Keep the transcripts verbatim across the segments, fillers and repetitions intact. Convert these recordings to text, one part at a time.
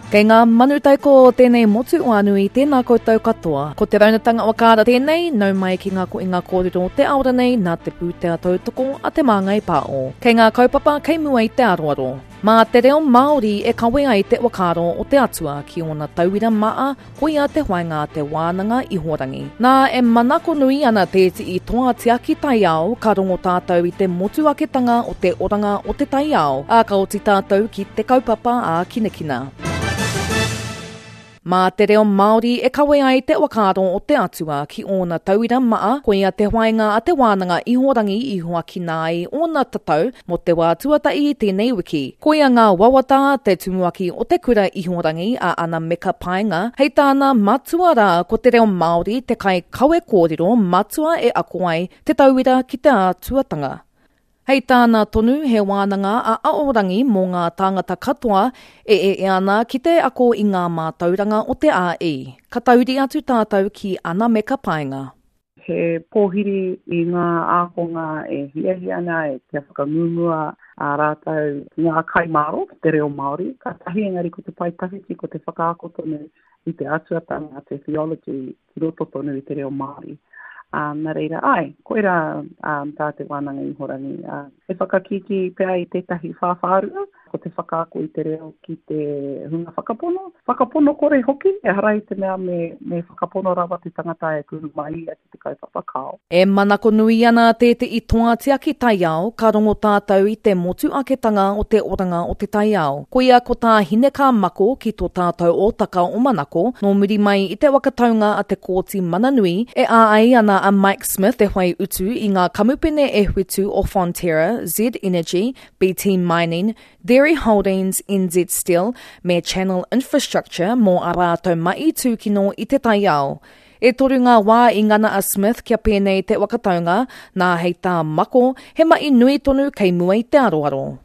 Kei ngā manu taiko o tēnei motu o Anui, tēnā koutou katoa. Ko te raunatanga o Kāra tēnei, nau mai ki ngā koinga kōrero o te aora nei nā te pūtea tautoko a Te Māngai Pāo. Kei ngā kaupapa kei mua i te aroaro. Mā te reo Māori e kawe ai te whakaaro o te Atua ki ōna tauira maa, koia te whainga a te wānanga ihorangi. Nā, e manako nui ana tēti'i toa tiaki taiao, ka rongo tātou i te motuaketanga o te oranga o te taiao, ā, ka oti tātou ki te kaupapa ā kinakina. Mā te reo Māori e kawe ai te whakaaro o te Atua ki ōna tauira maa, koia te whainga a te wānanga ihorangi i huakina ai ōna tatau mō te wā tuatahi i tēnei wiki. Koia ngā wawata a te tumuaki o te kura ihorangi a Ana Meka Paenga, hei tāna matua rā ko te reo Māori te kai kawe kōrero matua e ako ai te tauira ki te ātuatanga. Hei tāna tonu he wānanga a Aorangi mō ngā tāngata katoa e e ana ki te ako i ngā mātauranga o te A I. Ka tauri atu tātou ki Ana Meka Paenga. He pōhiri i ngā ākonga e hiahia ana e kia whakangungua a rātou ngā kaimāro, te reo Māori. Ka tahi engari ko te pae tawhiti, ko te whakaako tonu i te atuatanga, te theology, ki roto tonu i te reo Māori. Um, nā reira, ai, koira um, tā te wānanga ihorangi. Uh, he whakakiki pea i tētahi whāwhārua, ko te whakaako i te reo ki te hunga whakapono. Whakapono kore hoki, ehara i te mea me, me whakapono rawa te tangata e kuhu mai ia ki te kaupapa kao. E manako nui ana tētehi toa tiaki taiao, ka rongo tātou i te motu aketanga o te oranga o te taiao. Koia ko tā Hineka Mako ki tō tātou ōtaka o Manako, nō muri mai i te wakataunga a te Kōti Mananui, e āai ana a Mike Smith te whai utu i ngā kamupene e whitu o Fonterra, Z Energy, B T Mining, Dairy Holdings, N Z Steel me Channel Infrastructure mō a rātou mai tūkino i te taiao. E toru ngā wā i ngana a Smith kia pēnei te wakataunga, nā hei tā Mako, he mai nui tonu kei mua i te aroaro.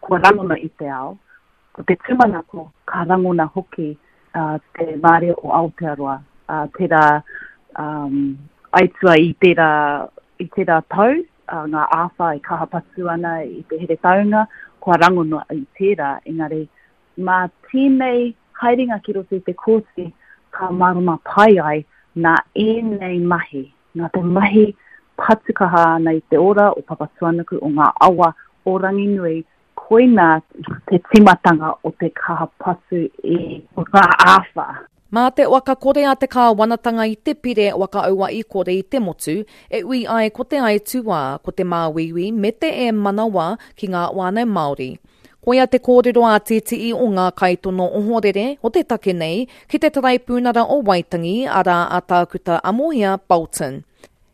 Kua rangona i te ao, ko te tūmanako ka rangona hoki uh, te mārea o Aotearoa, uh, tērā um, aitua i tērā, i tērā tau, uh, ngā āwha e kaha patu ana i te Heretaunga, kua rangona i tērā, engari mā tēnei haerenga ki roto i te kōti, ka mārama pai ai nā ēnei mahi, nā te mahi patukaha ana i te ora o Papatūānuku o ngā awa o Ranginui, koina te timatanga o te kaha patu i ngā āwha. Mā te waka kore a te kāwanatanga i te pire waka aua i kore i te motu, e ui ai ko te aituā, ko te māuiui me te e manawa ki ngā wānau Māori. Koia te kōrero a tēti'i o ngā kaitono ohorere o te take nei ki te Taraipūnara o Waitangi, arā a Tākuta Amohia Bolton.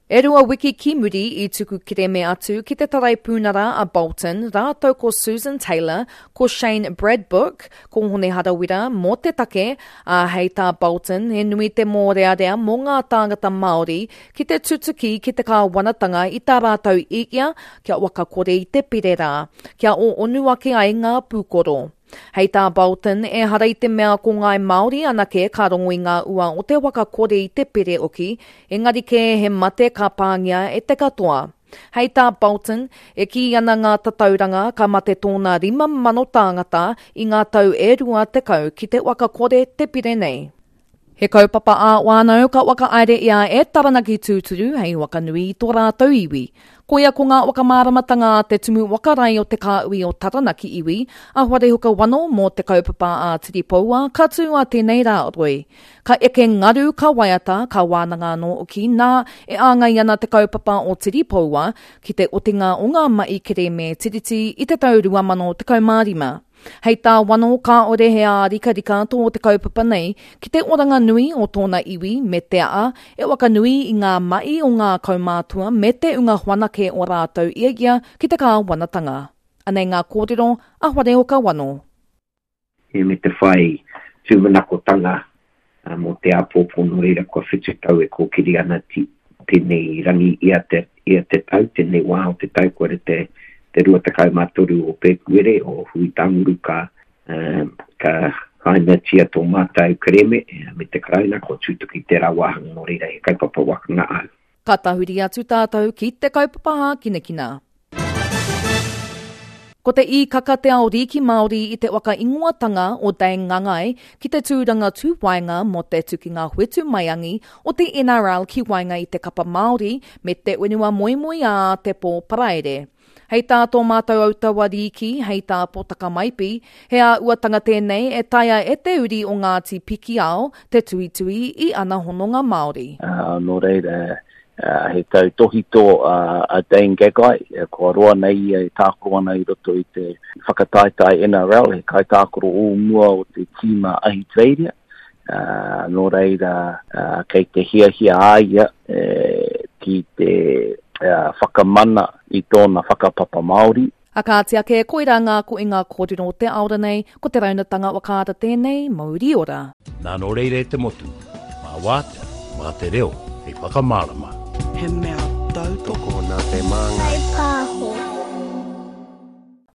E rua wiki ki muri i tuku kereme atu ki te Taraipūnara a Bolton, rātou ko Susan Taylor, ko Shane Bradbook, ko Hone Harawira mō te take, a hei tā Bolton, he nui te mōrearea mō ngā tāngata Māori ki te tutuki ki te kāwanatanga i tā rātou ikia kia wakakore i te pire rā, kia o onu ake ai ngā pūkoro. Hei tā Bolton, e hara i te mea ko ngāi Māori anake ka rongo i ngā ua o te wakakore i te pere oki, engari kē he mate ka pāngia e te katoa. Hei tā Bolton, e kī ana ngā tatauranga ka mate tōna rima mano tāngata i ngā tau e rua tekau ki te wakakore te pire nei. He kaupapa ā wānau ka whakahaere ia e Taranaki tūturu hei wakanui i tō rātou iwi. Koia ko ngā whakamāramatanga a te tumu wakarai o te kāui o Taranaki iwi, a Wharehuka Wano mō te kaupapa a Tiripoua ka tū a tēnei rā roi. Ka eke ngaru, ka waiata, ka wānanga anō oki nā e āngai ana te kaupapa o Tiripoua ki te otinga o ngā mai kereme tiriti i te tau rua mano tekau mā rima. Hei tā Wano kāore he ārikarika tō te kaupapa nei ki te oranga nui o tōna iwi me te aa e wakanui i ngā mai o ngā kaumātua me te unga whanake o rātou ia ia ki te kāwanatanga. Anei ngā kōrero a Wharehoka Wano. E me te whai tūmanakotanga mō te āpōpō nō reira kua whitu tau e kōkiri ana tēnei rangi ia te, ia te tau, tēnei wā o te tau kua re te te rua tekau mā toru o Pēpuere o Hui Tanguru ka, um, ka hainatia tō mātou kereme me te Karauna ko tūtuki tērā wāhanga nō reira he kaupapa wakanga au. Ka tahuri atu tātou ki te kaupapa hākinakina. Ko te īkaka te ao rīki Māori i te waka ingoatanga o Dane Ngangai ki te tūranga tūwaenga mō te tukinga whetumaiangi o te N R L ki waenga i te kapa Māori me te whenua moemoeā te pō Paraire. Hei tā tō mātou autawa rīki, hei tā Potaka Maipi, he āhuatanga tēnei e taea e te uri o Ngāti Pikiao te tuitui i ana hononga Māori. Uh, nō reira, uh, he tautohito uh, a Dane Gagai, kua roa nei ia e tākaro ana i roto i te whakataetae N R L, he kaitākaro o mua o te tīma Ahitereiria. Uh, nō reira, uh, kei te hiahia a ia e, ki te uh, whakamana i tōna whakapapa Māori. A kāti ake, koirā ngā ko i ngā kōrero o te aora nei, ko te raunatanga wakaara tēnei, mauri ora. Nā nō reira e te motu, mā wātea, mā te reo, hei whakamārama. He mea tautoko nā te māngai. Pāho.